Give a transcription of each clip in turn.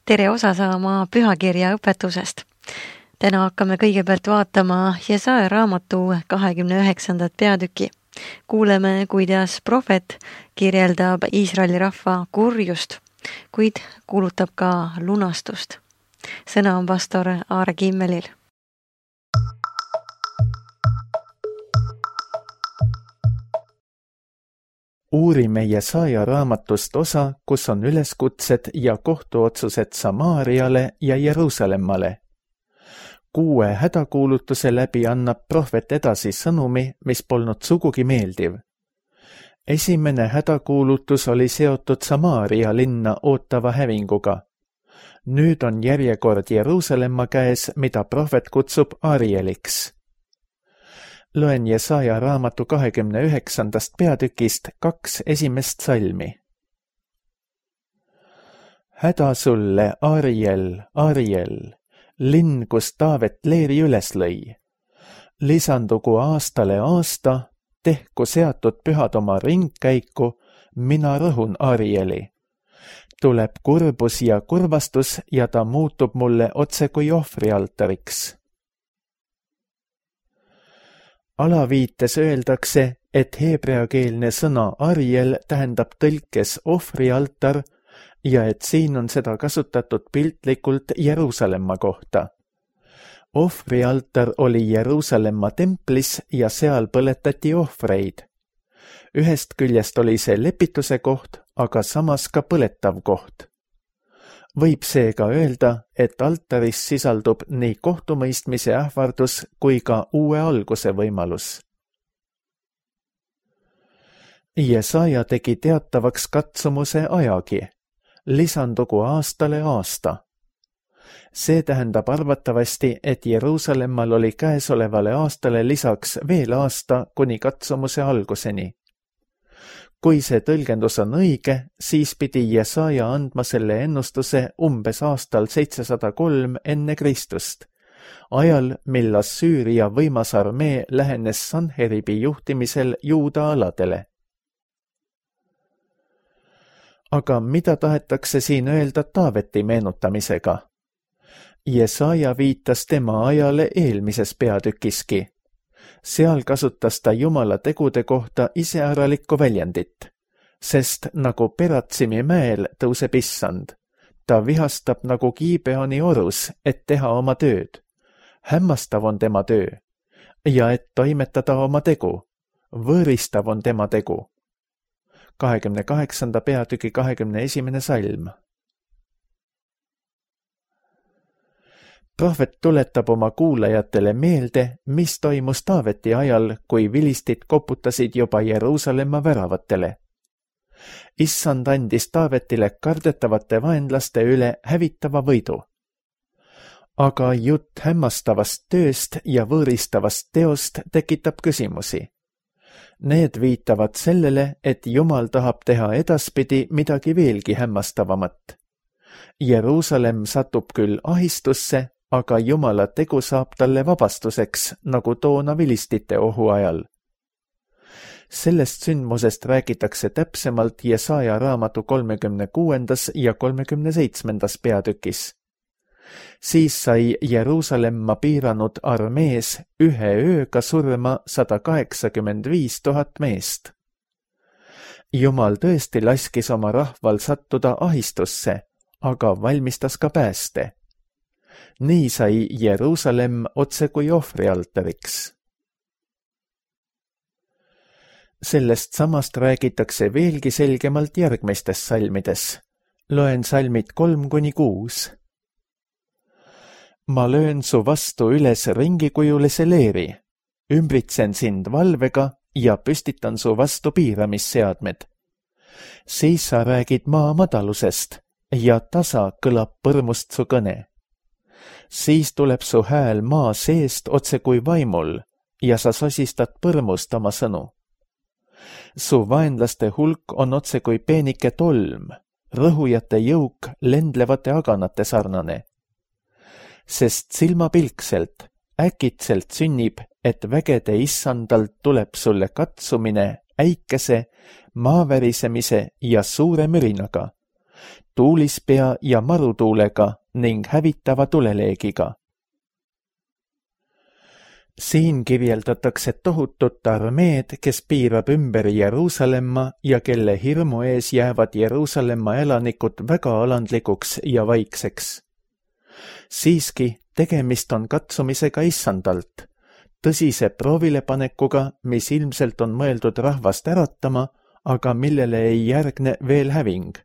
Tere osa saama pühakirja õpetusest. Täna hakkame kõigepealt vaatama Jesaja raamatu 29. peatüki. Kuuleme, kuidas prohvet kirjeldab Iisraeli rahva kurjust, kuid kuulutab ka lunastust. Sõna on pastor Aare Kimmelil. Uurime Jesaja raamatust osa, kus on üleskutsed ja kohtuotsused Samaariale ja Jeruusalemmale. 6 hädakuulutuse läbi annab prohvet edasi sõnumi, mis polnud sugugi meeldiv. Esimene hädakuulutus oli seotud Samaaria linna ootava hävinguga. Nüüd on järjekord Jeruusalemma käes, mida prohvet kutsub Arieliks. Loen Jesaja raamatu 29. peatükist 2 esimest salmi. Häda sulle, Ariel, Ariel, linn, kus Taavet leeri üles lõi. Lisandugu aastale aasta, tehku seatud pühad oma ringkäiku, mina rõhun Arieli. Tuleb kurbus ja kurvastus ja ta muutub mulle otse kui ohvrialtariks. Alaviites öeldakse, et heebreakeelne sõna Ariel tähendab tõlkes ohvrialtar ja et siin on seda kasutatud piltlikult Jeruusalemma kohta. Ohvrialtar oli Jeruusalemma templis ja seal põletati ohvreid. Ühest küljest oli see lepituse koht, aga samas ka põletav koht. Võib seega öelda, et altaris sisaldub nii kohtumõistmise ähvardus kui ka uue alguse võimalus. Jesaja tegi teatavaks katsumuse ajagi. Lisandugu aastale aasta. See tähendab arvatavasti, et Jeruusalemmal oli käesolevale aastale lisaks veel aasta kuni katsumuse alguseni. Kui see tõlgendus on õige, siis pidi Jesaja andma selle ennustuse umbes aastal 703 enne Kristust, ajal, mil Assüüria võimas armee lähenes Sanheribi juhtimisel Juuda aladele. Aga mida tahetakse siin öelda Taaveti meenutamisega? Jesaja viitas tema ajale eelmises peatükiski. Seal kasutas ta Jumala tegude kohta iseäralikku väljendit, sest nagu Peratsimi mäel tõuseb issand. Ta vihastab nagu Gibeoni orus, et teha oma tööd. Hämmastav on tema töö ja et toimetada oma tegu. Võõristav on tema tegu. 28. peatüki 21. salm. Prohvet tuletab oma kuulajatele meelde, mis toimus Taaveti ajal, kui vilistid koputasid juba Jeruusalemma väravatele. Issand andis Taavetile kardetavate vaenlaste üle hävitava võidu. Aga jutt hämmastavast tööst ja võõristavast teost tekitab küsimusi. Need viitavad sellele, et Jumal tahab teha edaspidi midagi veelgi hämmastavamat. Jeruusalem satub küll ahistusse, aga Jumala tegu saab talle vabastuseks, nagu toona vilistite ohu ajal. Sellest sündmusest räägitakse täpsemalt Jesaja raamatu 36. ja 37. peatükis. Siis sai Jeruusalemma piiranud armees ühe ööga surma 185 000 meest. Jumal tõesti laskis oma rahval sattuda ahistusse, aga valmistas ka pääste. Nii sai Jeruusalem otse kui ohvrialtariks. Sellest samast räägitakse veelgi selgemalt järgmistes salmides. Loen salmid 3-6. Ma löön su vastu üles ringikujulise leeri, ümbritsen sind valvega ja püstitan su vastu piiramisseadmed. Siis sa räägid maa madalusest ja tasa kõlab põrmust su kõne. Siis tuleb su hääl maa seest otse kui vaimul ja sa sosistad põrmust oma sõnu. Su vaenlaste hulk on otse kui peenike tolm, rõhujate jõuk lendlevate aganate sarnane. Sest silmapilkselt, äkitselt sünnib, et vägede issandalt tuleb sulle katsumine äikese, maavärisemise ja suure mürinaga, tuulispea ja marutuulega ning hävitava tuleleegiga. Siin kirjeldatakse tohutut armeed, kes piirab ümber Jeruusalemma ja kelle hirmu ees jäävad Jeruusalemma elanikud väga alandlikuks ja vaikseks. Siiski tegemist on katsumisega issandalt, tõsise proovilepanekuga, mis ilmselt on mõeldud rahvast äratama, aga millele ei järgne veel häving.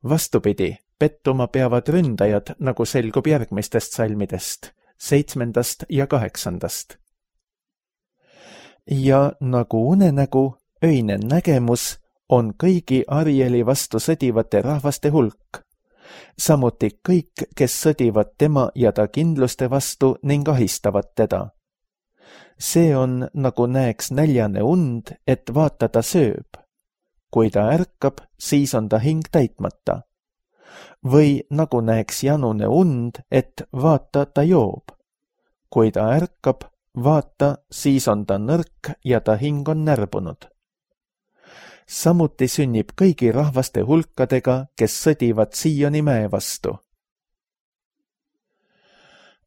Vastupidi, pettuma peavad ründajad, nagu selgub järgmistest salmidest, 7. ja 8. Ja nagu unenägu, öine nägemus on kõigi Arieli vastu sõdivate rahvaste hulk, samuti kõik, kes sõdivad tema ja ta kindluste vastu ning ahistavad teda. See on, nagu näeks näljane und, et vaata ta sööb. Kui ta ärkab, siis on ta hing täitmata. Või nagu näeks janune und, et vaata ta joob. Kui ta ärkab, vaata, siis on ta nõrk ja ta hing on närbunud. Samuti sünnib kõigi rahvaste hulkadega, kes sõdivad Sioni mäe vastu.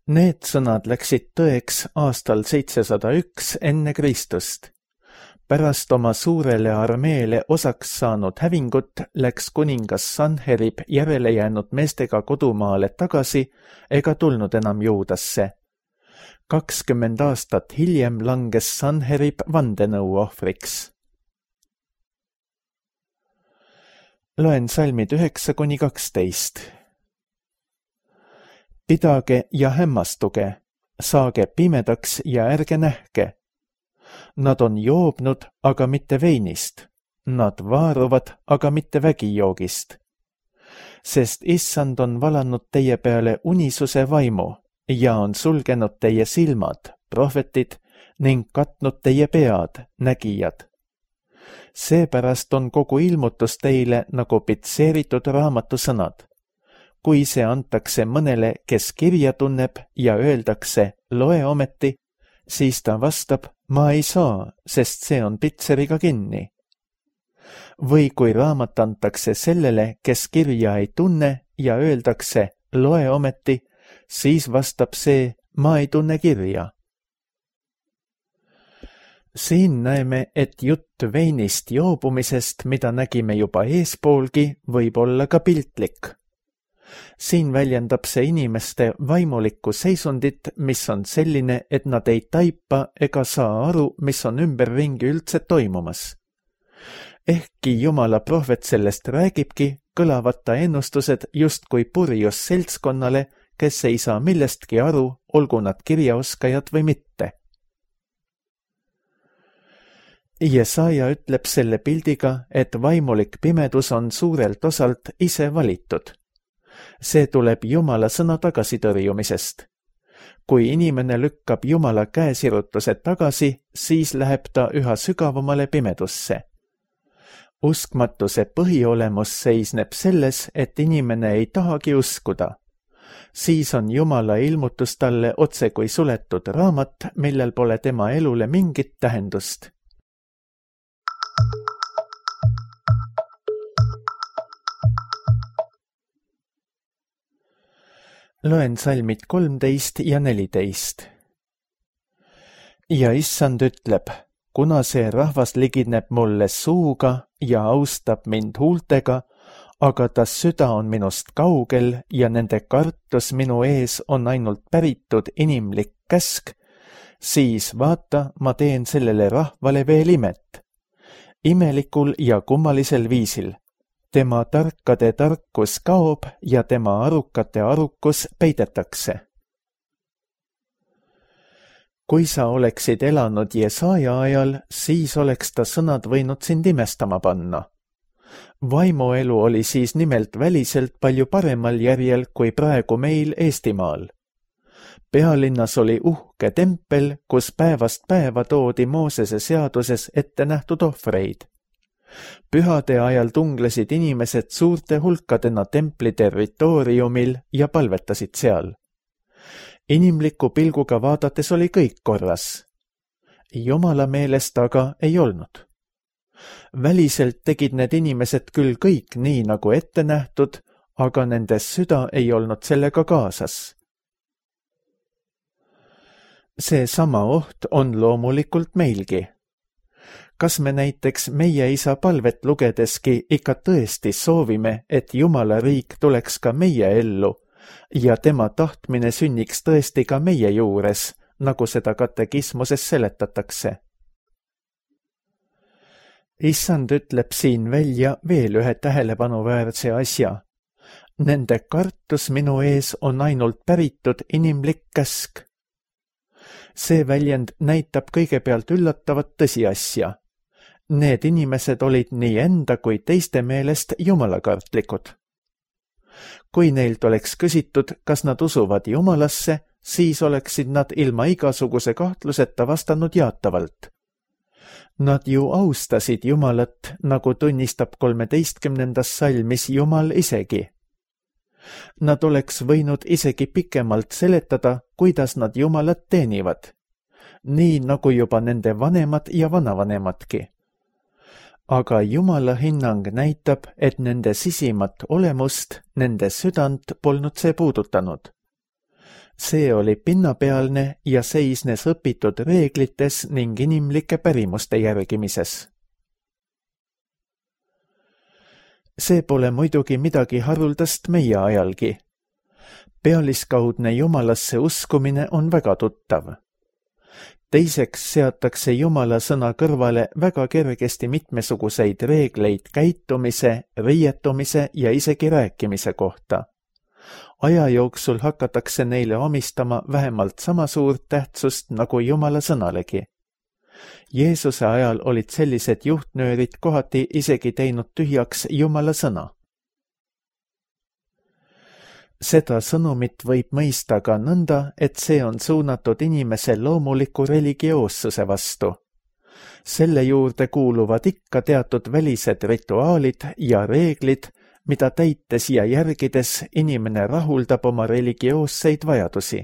Need sõnad läksid tõeks aastal 701 enne Kristust. Pärast oma suurele armeele osaks saanud hävingut läks kuningas Sanherib järele jäänud meestega kodumaale tagasi ega tulnud enam Juudasse. 20 aastat hiljem langes Sanherib vandenõu ohvriks. Loen salmid 9-12. Pidage ja hämmastuge, saage pimedaks ja ärge nähke. Nad on joobnud, aga mitte veinist. Nad vaaruvad, aga mitte vägijoogist. Sest issand on valanud teie peale unisuse vaimu ja on sulgenud teie silmad, prohvetid, ning katnud teie pead, nägijad. Seepärast on kogu ilmutus teile nagu pitseeritud raamatu sõnad. Kui see antakse mõnele, kes kirja tunneb ja öeldakse, loe ometi, siis ta vastab, ma ei saa, sest see on pitseriga kinni. Või kui raamat antakse sellele, kes kirja ei tunne ja öeldakse, loe ometi, siis vastab see, ma ei tunne kirja. Siin näeme, et jutt veinist joobumisest, mida nägime juba eespoolgi, võib olla ka piltlik. Siin väljendab see inimeste vaimulikku seisundit, mis on selline, et nad ei taipa ega saa aru, mis on ümberringi üldse toimumas. Ehkki Jumala prohvet sellest räägibki, kõlavad ta ennustused justkui purjus seltskonnale, kes ei saa millestki aru, olgu nad kirjaoskajad või mitte. Jesaja ütleb selle pildiga, et vaimulik pimedus on suurelt osalt ise valitud. See tuleb Jumala sõna tagasitõrjumisest. Kui inimene lükkab Jumala käesirutuse tagasi, siis läheb ta üha sügavamale pimedusse. Uskmatuse põhiolemus seisneb selles, et inimene ei tahagi uskuda. Siis on Jumala ilmutus talle otse kui suletud raamat, millel pole tema elule mingit tähendust. Loen salmid 13 ja 14. Ja issand ütleb, kuna see rahvas ligineb mulle suuga ja austab mind huultega, aga ta süda on minust kaugel ja nende kartus minu ees on ainult päritud inimlik käsk, siis vaata, ma teen sellele rahvale veel imet. Imelikul ja kummalisel viisil. Tema tarkade tarkus kaob ja tema arukate arukus peidetakse. Kui sa oleksid elanud Jesaja ajal, siis oleks ta sõnad võinud sind imestama panna. Vaimuelu oli siis nimelt väliselt palju paremal järjel kui praegu meil Eestimaal. Pealinnas oli uhke tempel, kus päevast päeva toodi Moosese seaduses ette nähtud ohvreid. Pühade ajal tunglesid inimesed suurte hulkadena templi territooriumil ja palvetasid seal. Inimliku pilguga vaadates oli kõik korras. Jumala meelest aga ei olnud. Väliselt tegid need inimesed küll kõik nii, nagu ette nähtud, aga nende süda ei olnud sellega kaasas. See sama oht on loomulikult meilgi. Kas me näiteks meie isa palvet lugedeski ikka tõesti soovime, et Jumala riik tuleks ka meie ellu ja tema tahtmine sünniks tõesti ka meie juures, nagu seda katekismuses seletatakse? Issand ütleb siin välja veel ühe tähelepanuväärse asja. Nende kartus minu ees on ainult päritud inimlik käsk. See väljend näitab kõigepealt üllatavat tõsiasja. Need inimesed olid nii enda kui teiste meelest jumalakartlikud. Kui neilt oleks küsitud, kas nad usuvad Jumalasse, siis oleksid nad ilma igasuguse kahtluseta vastanud jaatavalt. Nad ju austasid Jumalat, nagu tunnistab 13. salmis Jumal isegi. Nad oleks võinud isegi pikemalt seletada, kuidas nad Jumalat teenivad, nii nagu juba nende vanemad ja vanavanemadki. Aga Jumala hinnang näitab, et nende sisimat olemust, nende südant polnud see puudutanud. See oli pinnapealne ja seisnes õpitud reeglites ning inimlike pärimuste järgimises. See pole muidugi midagi haruldast meie ajalgi. Pealiskaudne Jumalasse uskumine on väga tuttav. Teiseks seatakse Jumala sõna kõrvale väga kergesti mitmesuguseid reegleid käitumise, riietumise ja isegi rääkimise kohta. Aja jooksul hakatakse neile omistama vähemalt sama suurt tähtsust nagu Jumala sõnalegi. Jeesuse ajal olid sellised juhtnöörid kohati isegi teinud tühjaks Jumala sõna. Seda sõnumit võib mõista ka nõnda, et see on suunatud inimese loomuliku religioossuse vastu. Selle juurde kuuluvad ikka teatud välised rituaalid ja reeglid, mida täites ja järgides inimene rahuldab oma religioosseid vajadusi.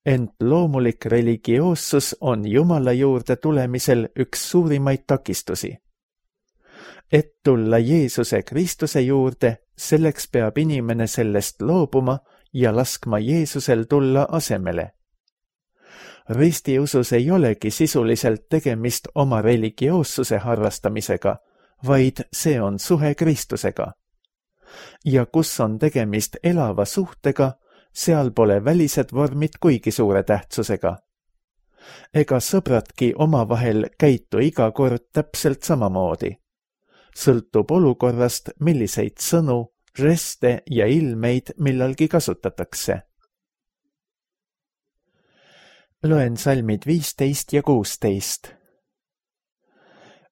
Ent loomulik religioossus on Jumala juurde tulemisel üks suurimaid takistusi. Et tulla Jeesuse Kristuse juurde, selleks peab inimene sellest loobuma ja laskma Jeesusel tulla asemele. Ristiusus ei olegi sisuliselt tegemist oma religioossuse harrastamisega, vaid see on suhe Kristusega. Ja kus on tegemist elava suhtega, seal pole välised vormid kuigi suure tähtsusega. Ega sõbradki omavahel käitu iga kord täpselt samamoodi. Sõltub olukorrast, milliseid sõnu, žeste ja ilmeid millalgi kasutatakse. Loen salmid 15 ja 16.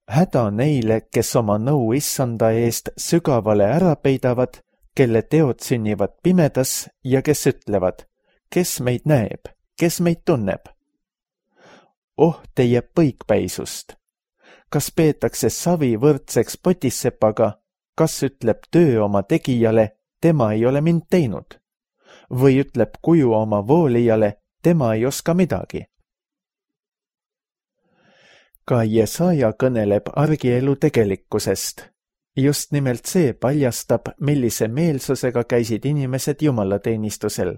Häda neile, kes oma nõu Issanda eest sügavale ära peidavad, kelle teod sünnivad pimedas ja kes ütlevad, kes meid näeb, kes meid tunneb. Oh teie põikpäisust! Kas peetakse savi võrdseks potissepaga, kas ütleb töö oma tegijale, tema ei ole mind teinud, või ütleb kuju oma voolijale, tema ei oska midagi. Ka Jesaja kõneleb argielu tegelikkusest. Just nimelt see paljastab, millise meelsusega käisid inimesed jumalateenistusel.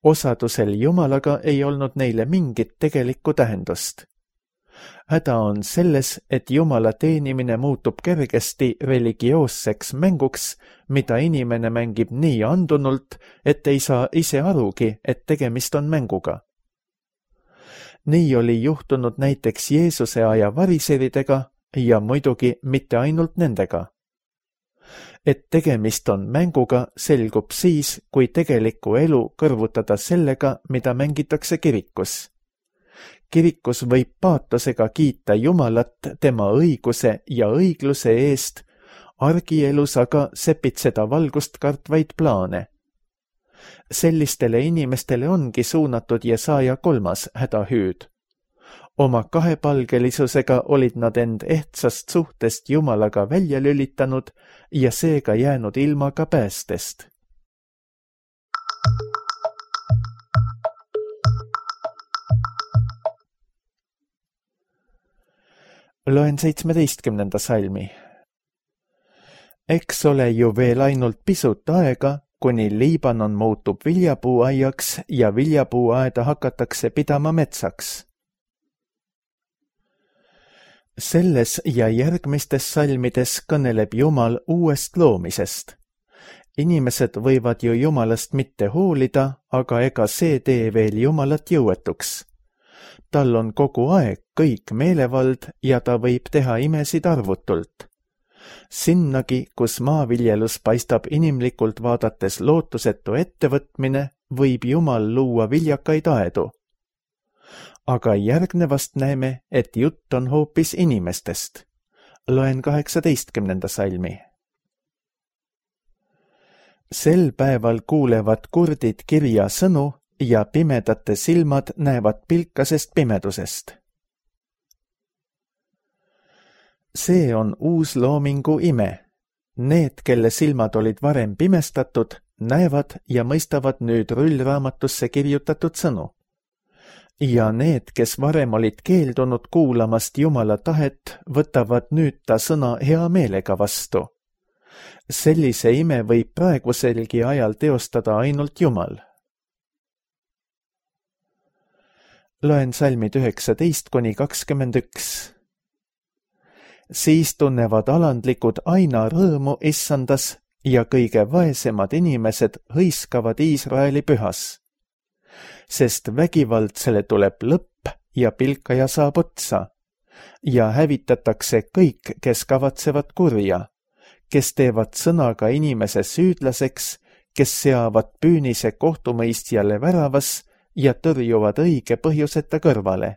Osadusel Jumalaga ei olnud neile mingit tegelikku tähendust. Häda on selles, et Jumala teenimine muutub kergesti religioosseks mänguks, mida inimene mängib nii andunult, et ei saa ise arugi, et tegemist on mänguga. Nii oli juhtunud näiteks Jeesuse aja variseridega ja muidugi mitte ainult nendega. Et tegemist on mänguga, selgub siis, kui tegelikku elu kõrvutada sellega, mida mängitakse kirikus. Kirikus võib paatosega kiita Jumalat tema õiguse ja õigluse eest, argielus aga sepitseda valgust kartvaid plaane. Sellistele inimestele ongi suunatud Jesaja 3. hädahüüd. Oma kahepalgelisusega olid nad end ehtsast suhtest Jumalaga välja lülitanud ja seega jäänud ilma ka päästest. Loen 17. salmi. Eks ole ju veel ainult pisut aega, kuni Liibanon muutub viljapuuaiaks ja viljapuuaeda hakatakse pidama metsaks. Selles ja järgmistes salmides kõneleb Jumal uuest loomisest. Inimesed võivad ju Jumalast mitte hoolida, aga ega see tee veel Jumalat jõuetuks. Tal on kogu aeg kõik meelevald ja ta võib teha imesid arvutult. Sinnagi, kus maaviljelus paistab inimlikult vaadates lootusetu ettevõtmine, võib Jumal luua viljakaid aedu. Aga järgnevast näeme, et jutt on hoopis inimestest. Loen 18. salmi. Sel päeval kuulevad kurdid kirja sõnu ja pimedate silmad näevad pilkasest pimedusest. See on uus loomingu ime. Need, kelle silmad olid varem pimestatud, näevad ja mõistavad nüüd rullraamatusse kirjutatud sõnu. Ja need, kes varem olid keeldunud kuulamast Jumala tahet, võtavad nüüd ta sõna hea meelega vastu. Sellise ime võib praeguselgi ajal teostada ainult Jumal. Loen salmid 19–21. Siis tunnevad alandlikud aina rõõmu issandas ja kõige vaesemad inimesed hõiskavad Iisraeli pühas. Sest vägivaldsele tuleb lõpp ja pilkaja saab otsa ja hävitatakse kõik, kes kavatsevad kurja, kes teevad sõnaga inimese süüdlaseks, kes seavad püünise kohtumõistjale väravas ja tõrjuvad õige põhjuseta kõrvale.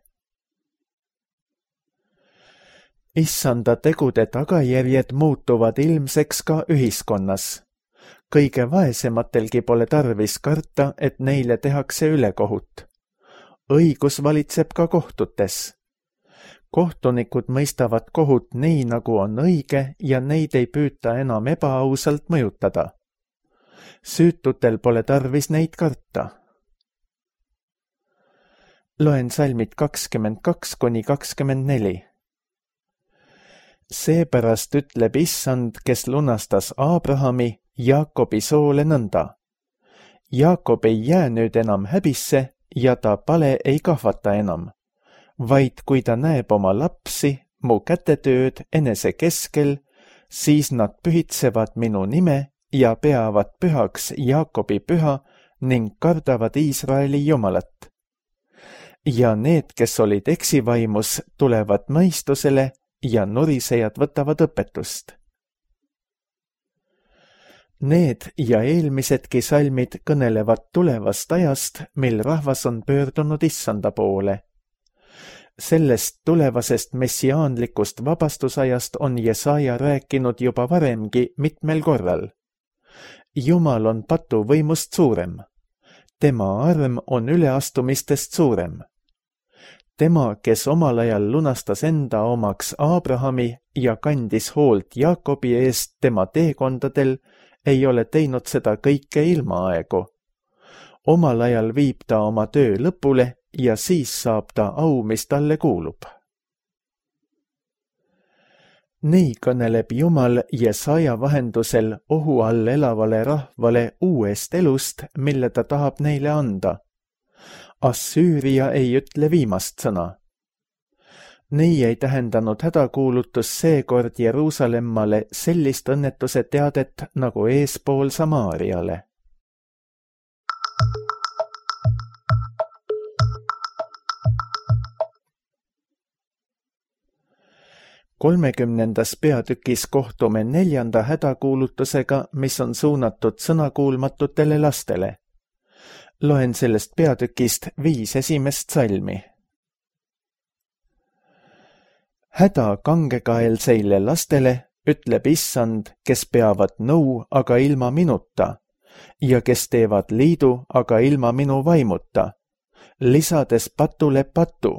Issanda tegude tagajärjed muutuvad ilmseks ka ühiskonnas. Kõige vaesematelgi pole tarvis karta, et neile tehakse ülekohut. Õigus valitseb ka kohtutes. Kohtunikud mõistavad kohut nii, nagu on õige ja neid ei püüta enam ebaausalt mõjutada. Süütutel pole tarvis neid karta. Loen salmid 22–24. Seepärast ütleb Issand, kes lunastas Aabrahami, Jaakobi soole nõnda. Jaakob ei jää nüüd enam häbisse ja ta pale ei kahvata enam, vaid kui ta näeb oma lapsi, mu kätetööd enese keskel, siis nad pühitsevad minu nime ja peavad pühaks Jaakobi püha ning kardavad Iisraeli Jumalat. Ja need, kes olid eksivaimus, tulevad mõistusele ja nurisejad võtavad õpetust. Need ja eelmisedki salmid kõnelevad tulevast ajast, mil rahvas on pöördunud Issanda poole. Sellest tulevasest messiaanlikust vabastusajast on Jesaja rääkinud juba varemgi mitmel korral. Jumal on patuvõimust suurem. Tema arm on üleastumistest suurem. Tema, kes omal ajal lunastas enda omaks Aabrahami ja kandis hoolt Jaakobi eest tema teekondadel, ei ole teinud seda kõike ilmaaegu. Omal ajal viib ta oma töö lõpule ja siis saab ta au, mis talle kuulub. Nii kõneleb Jumal Jesaja vahendusel ohu all elavale rahvale uuest elust, mille ta tahab neile anda. Assüüria ei ütle viimast sõna. Nii ei tähendanud hädakuulutus seekord Jeruusalemmale sellist õnnetuse teadet nagu eespool Samaariale. Kolmekümnendas peatükis kohtume 4. hädakuulutusega, mis on suunatud sõnakuulmatutele lastele. Loen sellest peatükist 5 esimest salmi. Häda kangekaelseile lastele, ütleb Issand, kes peavad nõu, aga ilma minuta, ja kes teevad liidu, aga ilma minu vaimuta, lisades patule patu,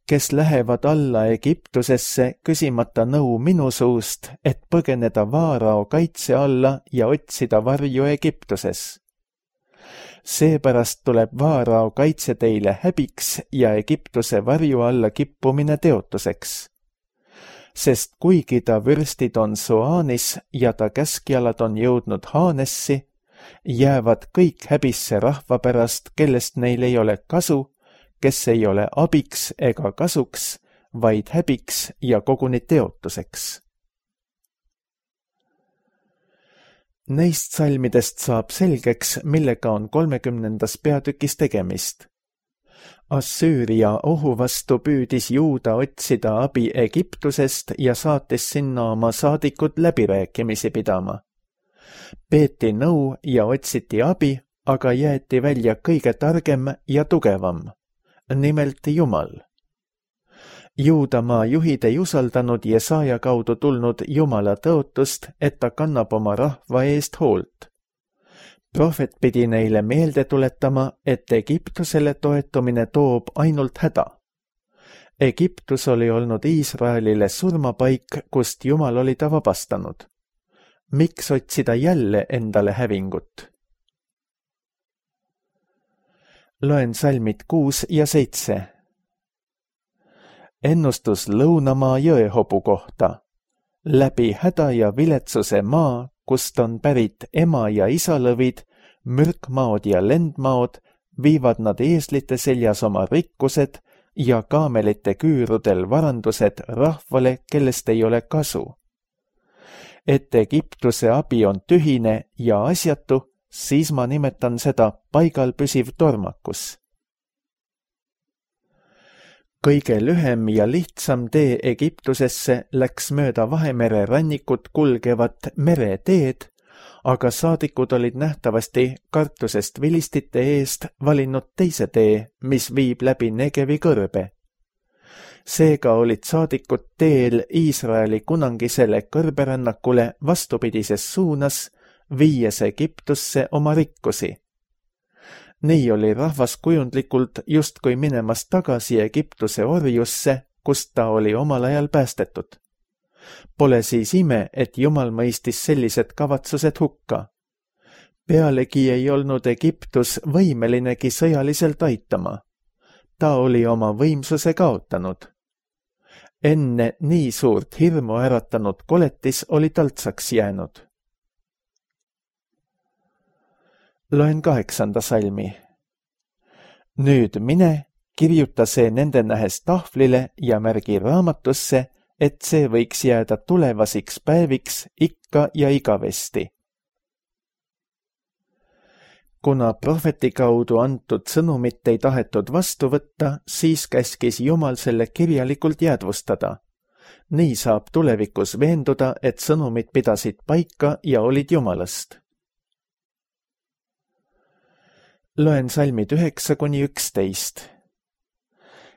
kes lähevad alla Egiptusesse küsimata nõu minu suust, et põgeneda Vaarao kaitse alla ja otsida varju Egiptuses. Seepärast tuleb Vaarao kaitse teile häbiks ja Egiptuse varju alla kippumine teotuseks. sest kuigi ta vürstid on Soanis ja ta käskjalad on jõudnud Haanessi, jäävad kõik häbisse rahva pärast, kellest neil ei ole kasu, kes ei ole abiks ega kasuks, vaid häbiks ja koguni teotuseks. Neist salmidest saab selgeks, millega on 30. peatükis tegemist. Assüüria ohu vastu püüdis Juuda otsida abi Egiptusest ja saatis sinna oma saadikud läbirääkimisi pidama. Peeti nõu ja otsiti abi, aga jäeti välja kõige targem ja tugevam, nimelt Jumal. Juudamaa juhid ei usaldanud Jesaja kaudu tulnud Jumala tõotust, et ta kannab oma rahva eest hoolt. Prohvet pidi neile meelde tuletama, et Egiptusele toetumine toob ainult häda. Egiptus oli olnud Iisraelile surmapaik, kust Jumal oli ta vabastanud. Miks otsida jälle endale hävingut? Loen salmid 6 ja 7. Ennustus lõunamaa jõehobu kohta. Läbi häda ja viletsuse maa, kust on pärit ema ja isalõvid, mürkmaod ja lendmaod, viivad nad eeslite seljas oma rikkused ja kaamelite küürudel varandused rahvale, kellest ei ole kasu. Et Egiptuse abi on tühine ja asjatu, siis ma nimetan seda paigal püsiv tormakus. Kõige lühem ja lihtsam tee Egiptusesse läks mööda Vahemere rannikut kulgevat mereteed, aga saadikud olid nähtavasti kartusest vilistite eest valinud teise tee, mis viib läbi Negevi kõrbe. Seega olid saadikud teel Iisraeli kunangisele kõrberännakule vastupidises suunas, viies Egiptusse oma rikkusi. Nii oli rahvas kujundlikult justkui minemas tagasi Egiptuse orjusse, kust ta oli omal ajal päästetud. Pole siis ime, et Jumal mõistis sellised kavatsused hukka. Pealegi ei olnud Egiptus võimelinegi sõjaliselt aitama. Ta oli oma võimsuse kaotanud. Enne nii suurt hirmu äratanud koletis oli taltsaks jäänud. Loen 8. salmi. Nüüd mine, kirjuta see nende nähes tahvlile ja märgi raamatusse, et see võiks jääda tulevasiks päeviks ikka ja igavesti. Kuna prohveti kaudu antud sõnumit ei tahetud vastu võtta, siis käskis Jumal selle kirjalikult jäädvustada. Nii saab tulevikus veenduda, et sõnumid pidasid paika ja olid Jumalast. Loen salmid 9–11.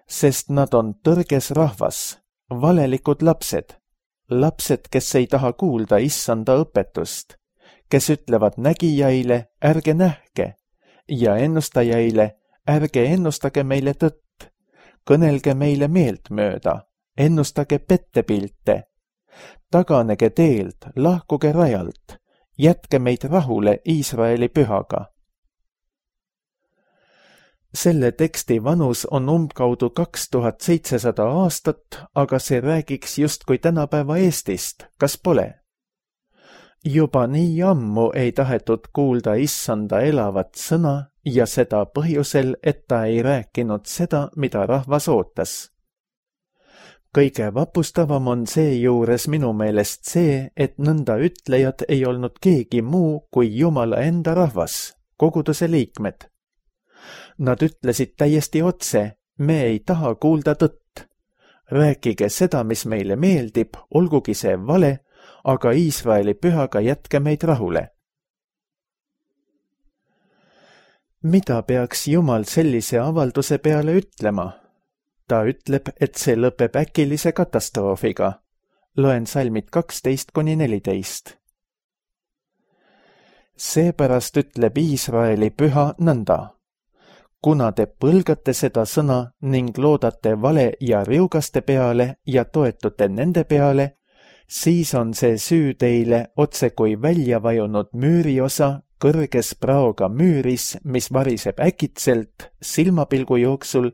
Sest nad on tõrges rahvas, valelikud lapsed, lapsed, kes ei taha kuulda issanda õpetust, kes ütlevad nägijaile, ärge nähke, ja ennustajaile, ärge ennustage meile tõtt, kõnelge meile meeltmööda, ennustage pettepilte, taganege teelt, lahkuge rajalt, jätke meid rahule Iisraeli pühaga. Selle teksti vanus on umbkaudu 2700 aastat, aga see räägiks justkui tänapäeva Eestist, kas pole? Juba nii ammu ei tahetud kuulda issanda elavat sõna ja seda põhjusel, et ta ei rääkinud seda, mida rahvas ootas. Kõige vapustavam on seejuures minu meelest see, et nõnda ütlejad ei olnud keegi muu kui Jumala enda rahvas, koguduse liikmed. Nad ütlesid täiesti otse, me ei taha kuulda tõtt. Rääkige seda, mis meile meeldib, olgugi see vale, aga Iisraeli pühaga jätke meid rahule. Mida peaks Jumal sellise avalduse peale ütlema? Ta ütleb, et see lõpeb äkilise katastroofiga. Loen salmid 12–14. Seepärast ütleb Iisraeli püha nõnda. Kuna te põlgate seda sõna ning loodate vale ja riugaste peale ja toetute nende peale, siis on see süü teile otse kui välja vajunud müüriosa kõrges praoga müüris, mis variseb äkitselt silmapilgu jooksul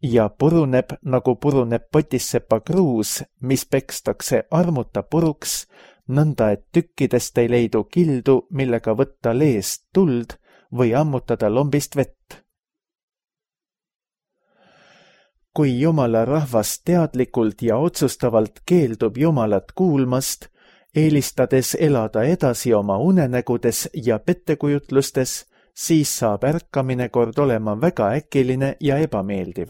ja puruneb, nagu puruneb potissepa kruus, mis pekstakse armuta puruks, nõnda et tükkidest ei leidu kildu, millega võtta leest tuld või ammutada lombist vett. Kui Jumala rahvas teadlikult ja otsustavalt keeldub Jumalat kuulmast, eelistades elada edasi oma unenägudes ja pettekujutlustes, siis saab ärkamine kord olema väga äkiline ja ebameeldiv.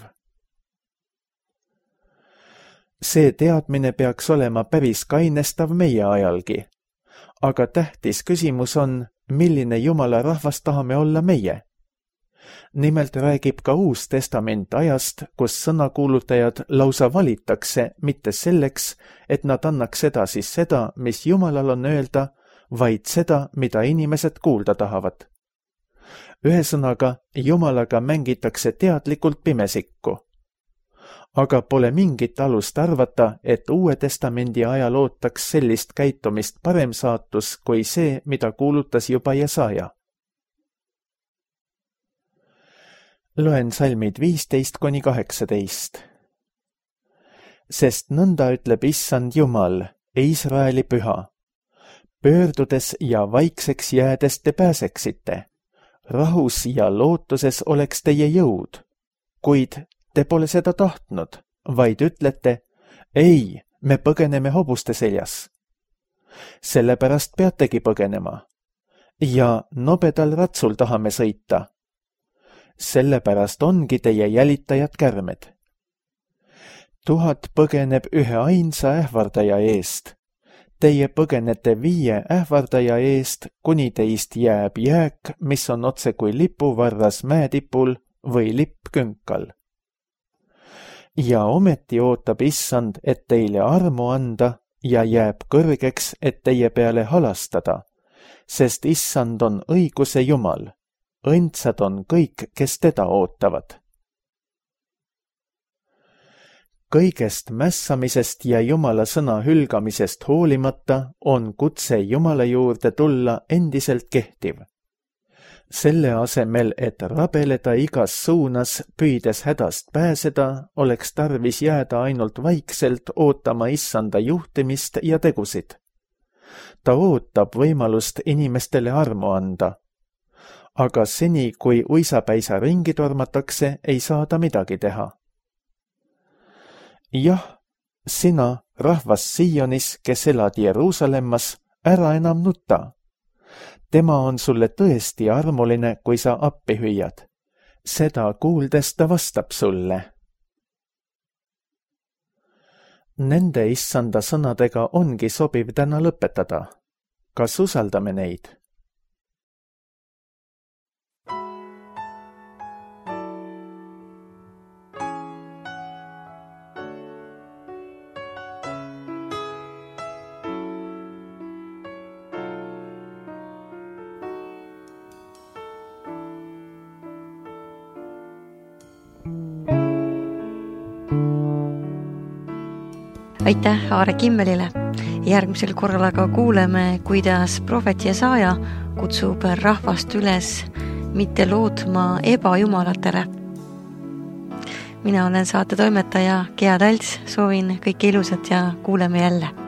See teadmine peaks olema päris kainestav meie ajalgi, aga tähtis küsimus on, milline Jumala rahvas tahame olla meie. Nimelt räägib ka Uus Testament ajast, kus sõnakuulutajad lausa valitakse mitte selleks, et nad annaks edasi seda, mis Jumalal on öelda, vaid seda, mida inimesed kuulda tahavad. Ühesõnaga, Jumalaga mängitakse teadlikult pimesikku. Aga pole mingit alust arvata, et Uue Testamendi ajal ootaks sellist käitumist parem saatus kui see, mida kuulutas juba Jesaja. Loen salmid 15–18. Sest nõnda ütleb Issand Jumal, Iisraeli püha. Pöördudes ja vaikseks jäädes te pääseksite. Rahus ja lootuses oleks teie jõud. Kuid te pole seda tahtnud, vaid ütlete, ei, me põgeneme hobuste seljas. Sellepärast peategi põgenema. Ja nobedal ratsul tahame sõita. Sellepärast ongi teie jälitajad kärmed. 1000 põgeneb ühe ainsa ähvardaja eest. Teie põgenete 5 ähvardaja eest, kuni teist jääb jääk, mis on otse kui lipuvarras mäetipul või lipp künkal. Ja ometi ootab Issand, et teile armu anda ja jääb kõrgeks, et teie peale halastada, sest Issand on õiguse Jumal. Õndsad on kõik, kes teda ootavad. Kõigest mässamisest ja Jumala sõna hülgamisest hoolimata on kutse Jumala juurde tulla endiselt kehtiv. Selle asemel, et rabeleda igas suunas, püüdes hädast pääseda, oleks tarvis jääda ainult vaikselt ootama Issanda juhtimist ja tegusid. Ta ootab võimalust inimestele armu anda. Aga seni, kui uisapäisa ringi tormatakse, ei saa ta midagi teha. Jah, sina, rahvas Sionis, kes elad Jeruusalemmas, ära enam nuta. Tema on sulle tõesti armuline, kui sa appi hüüad. Seda kuuldes ta vastab sulle. Nende Issanda sõnadega ongi sobiv täna lõpetada. Kas usaldame neid? Aitäh Aare Kimmelile. Järgmisel korral aga kuuleme, kuidas prohvet Jesaja kutsub rahvast üles mitte lootma ebajumalatele. Mina olen saate toimetaja Gea Talts, soovin kõike ilusat ja kuuleme jälle.